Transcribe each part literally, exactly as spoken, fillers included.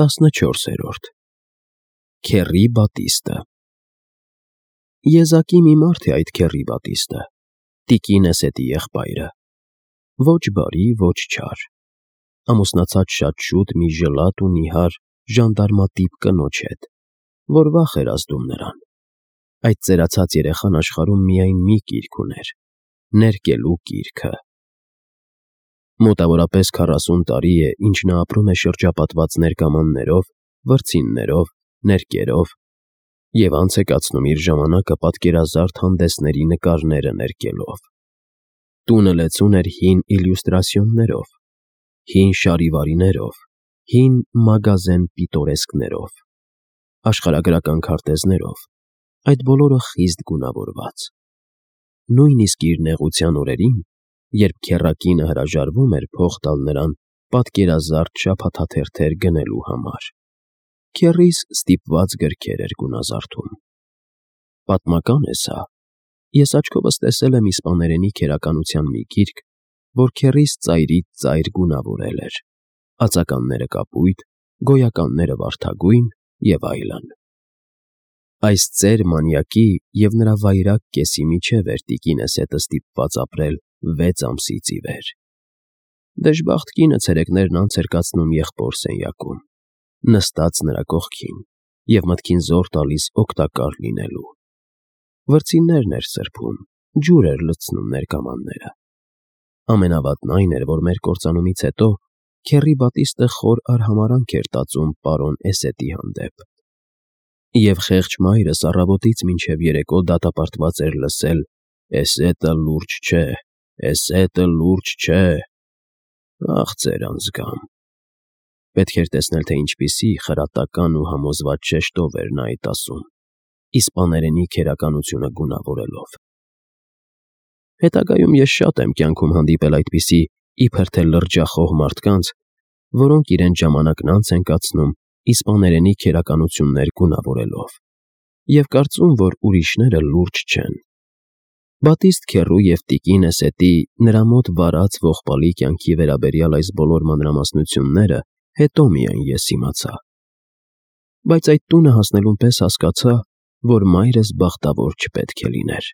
տասնչորսերորդ Քեռի Բատիստը Եզակի մի մարդ է այդ Քեռի Բատիստը, տիկին Էսետի եղբայրը, ոչ բարի, ոչ չար, ամուսնացած շատ շուտ մի ժլատ ու նիհար ժանդարմատիպ կնոջ հետ, որ վախ էր ազդում նրան. այդ ծերացած երեխան աշխարհում միայն մի կիրք ուներ՝ ներկելու կիրքը։ Մոտավորապես քառասուն տարի է, ինչ նա ապրում է շրջապատված ներկամաններով, վրձիններով, ներկերով և անց է կացնում իր ժամանակը պատկերազարդ հանդեսների նկարները ներկելով։ Տունը լեցուն էր հին իլյուստրացիոներով, հին շարիվարիներով, հին մագազեն պիտորեսկներով, աշխարհագրական քարտեզներով, այդ բոլորը խիստ գունավորված։ Նույնիսկ իր նեղության օրերին, երբ քեռակինը հրաժարվում էր փող տալ նրան պատկերազարդ շաբաթաթերթեր գնելու համար, քեռիս ստիպված գրքեր էր գունազարդում։ Պատմական է սա։ Ես աչքովս տեսել եմ իսպաներենի քերականության մի գիրք, որ քեռիս ծայրից ծայր գունավորել էր, ածականները կապույտ, գոյականները վարդագույն և այլն։ Այս ծեր մանյակի և նրա վայրագ կեսի միջև էր տիկին Էսետը ստիպված ապրել վեց ամսից ի վեր։ Դժբախտ կինը ցերեկներն անց էր կացնում եղբոր սենյակում, նստած նրա կողքին և մտքին զոր տալիս օգտակար լինելու։ Վրձիններն էր սրբում, ջուր էր լցնում ներկամանները։ Ամենավատն այն էր, որ մեր կործանումից հետո Քեռի Բատիստը խոր արհամարհանք էր տածում պարոն Էսետի հանդեպ։ Եվ խեղճ մայրս առավոտից մինչև երեկո դատապարտված էր լսել. «Էսետը լուրջ չէ, Էսետը լուրջ չէ»։ Ախ, ծեր անձգամ։ Պետք էր տեսնել, թե ինչպիսի խրատական ու համոզված շեշտով էր նա այդ ասում, իսպաներենի քերականությունը գունավորելով։ Հետագայում ես շատ եմ կյանքում հանդիպել այդպիսի իբր թե լրջախոհ մարդկանց, որոնք իրենց ժամանակն անց են կացնում իսպաներենի քերականություններ գունավորելով և կարծում, որ ուրիշները լուրջ չեն։ Բատիստ քեռու և տիկին Էսետի նրա մոտ վարած ողբալի կյանքի վերաբերյալ այս բոլոր մանրամասնությունները հետո միայն ես իմացա։ Բայց այդ տունը հասնելուն պես հասկացա, որ մայրս բախտավոր չպետք է լիներ։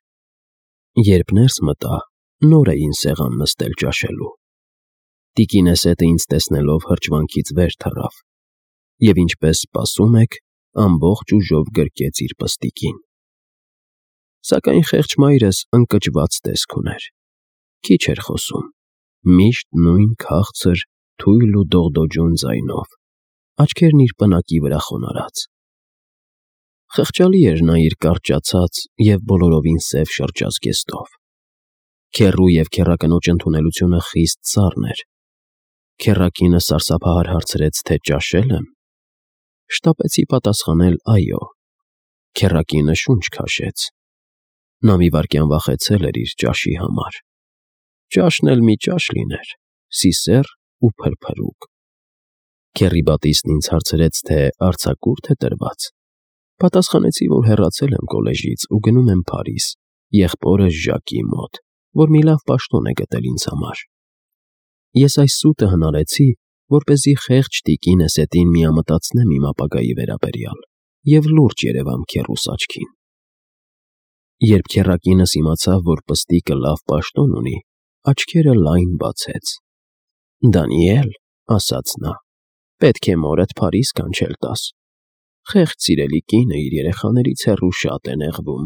Երբ ներս մտա, նոր էին սեղան նստել ճաշելու։ Տիկին Էսետը ինձ տեսնելով հրճվանքից վեր թռավ և, ինչպես սպասում եք, ամբողջ ուժով գրկեց իր պստիկին։ Սակայն խեղճ մայրս ընկճված տեսք ուներ։ Քիչ էր խոսում, միշտ նույն քաղցր, թույլ ու դողդոջուն ձայնով, աչքերն իր պնակի վրա խոնարհած։ Խղճալի էր նա իր կարճացած և բոլորովին սև շրջազգեստով։ Քեռու և քեռակնոջ ընդունելությունը խիստ սառն էր։ Քեռակինը սարսափահար հարցրեց, թե ճաշե՞լ եմ։ Շտապեցի պատասխանել այո։ Քեռակինը շունչ քաշեց։ Նա մի վայրկյան վախեցել էր իր ճաշի համար։ Ճաշն էլ մի ճաշ լիներ՝ սիսեռ ու փրփրուկ։ Քեռի Բատիստն ինձ հարցրեց, թե արձակուրդ է տրված։ Պատասխանեցի, որ հեռացել եմ կոլեժից ու գնում եմ Փարիզ, եղբորս Ժակի մոտ, որ մի լավ պաշտոն է գտել ինձ համար։ Ես այս սուտը հնարեցի, որպեսզի խեղճ տիկին Էսետին միամտացնեմ իմ ապագայի վերաբերյալ և լուրջ երևամ քեռուս աչքին։ Երբ քեռակինս իմացավ, որ պստիկը լավ պաշտոն ունի, աչքերը լայն բացեց։ «Դանիել», ասաց նա, «պետք է մորդ Փարիզ կանչել տաս։ Խեղճ սիրելի կինը իր երեխաներից հեռու շատ է նեղվում։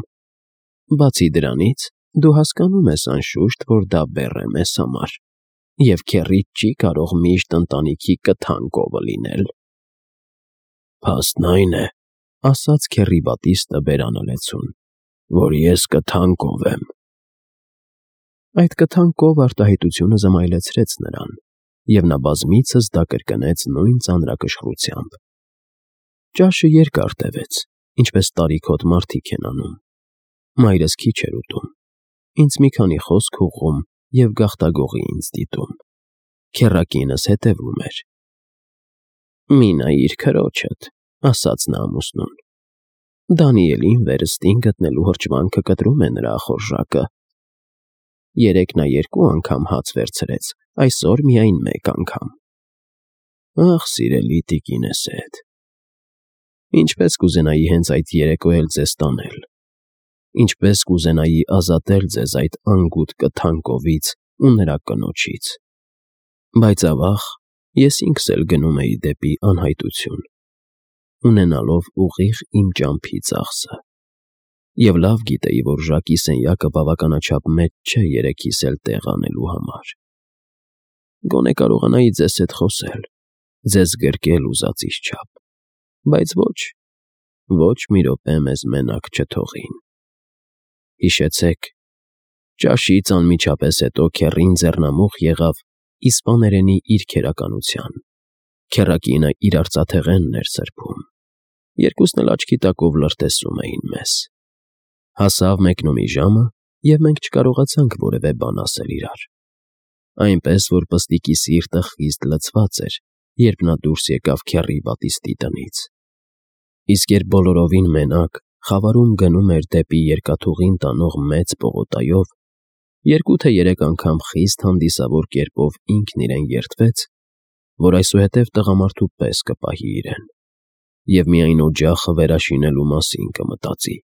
Բացի դրանից, դու հասկանում ես, անշուշտ, որ դա բեռ է մեզ համար, և քեռիդ չի կարող միշտ ընտանիքի կթան կովը լինել»։ «Փաստն այն է, — ասաց Քեռի Բատիստը բերանը լեցուն, — որ ես կթան կով եմ»։ Այդ կթան կով արտահայտությունը զմայլեցրեց նրան, և նա բազմիցս դա կրկնեց նույն ծանրակշռությամբ։ Ճաշը երկար տևեց, ինչպես տարիքոտ մարդիկ են անում։ Մայրս քիչ էր ուտում, ինձ մի քանի խոսք ուղղում և գաղտագողի ինձ դիտում։ Քեռակինս հետևում էր։ «Մի նայիր քրոջդ», — ասաց նա ամուսնուն։ «Դանիելին վերստին գտնելու հրճվանքը կտրում է նրա ախորժակը։ Երեկ նա երկու անգամ հաց վերցրեց, այսօր միայն մեկ անգամ»։ Ախ, սիրելի տիկինս էդ, ինչպես կուզենայի հենց այդ երեկո էլ ձեզ տանել, ինչպես կուզենայի ազատել ձեզ այդ անգութ կթանկովից ու նրա կնոջից, բայց ավաղ ես ինքս էլ գնում էի դեպի անհայտություն, ունենալով ուղիղ իմ ճամփի ծախսը, և լավ գիտեի, որ Ժակի սենյակը բավականաչափ մեծ չէ երեքիս էլ տեղ անելու համար, գոնե կարողանայի ձեզ հետ խոսել, ձեզ գրկել ուզածիս չափ, բայց ոչ, ոչ մի րոպե մեզ մենակ չթողին։ Հիշեցեք, ճաշից անմիջապես հետո քեռին ձեռնամուխ եղավ իսպաներենի իր քերականության, քեռակինը իր արծաթեղենն էր սրբում, երկուսն էլ աչքի տակով լրտեսում էին մեզ։ Հասավ մեկնումի ժամը, և մենք չկարողացանք որևէ բան ասել իրար, այնպես, որ պստիկի սիրտը խիստ լցված էր, երբ նա դուրս եկավ քեռի բատիստի տնից, իսկ երբ բոլորովին մենակ խավարում գնում էր դեպի երկաթուղին տանող մեծ պողոտայով, երկու թե երեք անգամ խիստ հանդիսավոր կերպով ինքն իրեն երդվեց, որ այսուհետև տղամարդու պես կպահի իրեն և միայն օջախը վերաշինելու մասին կմտածի։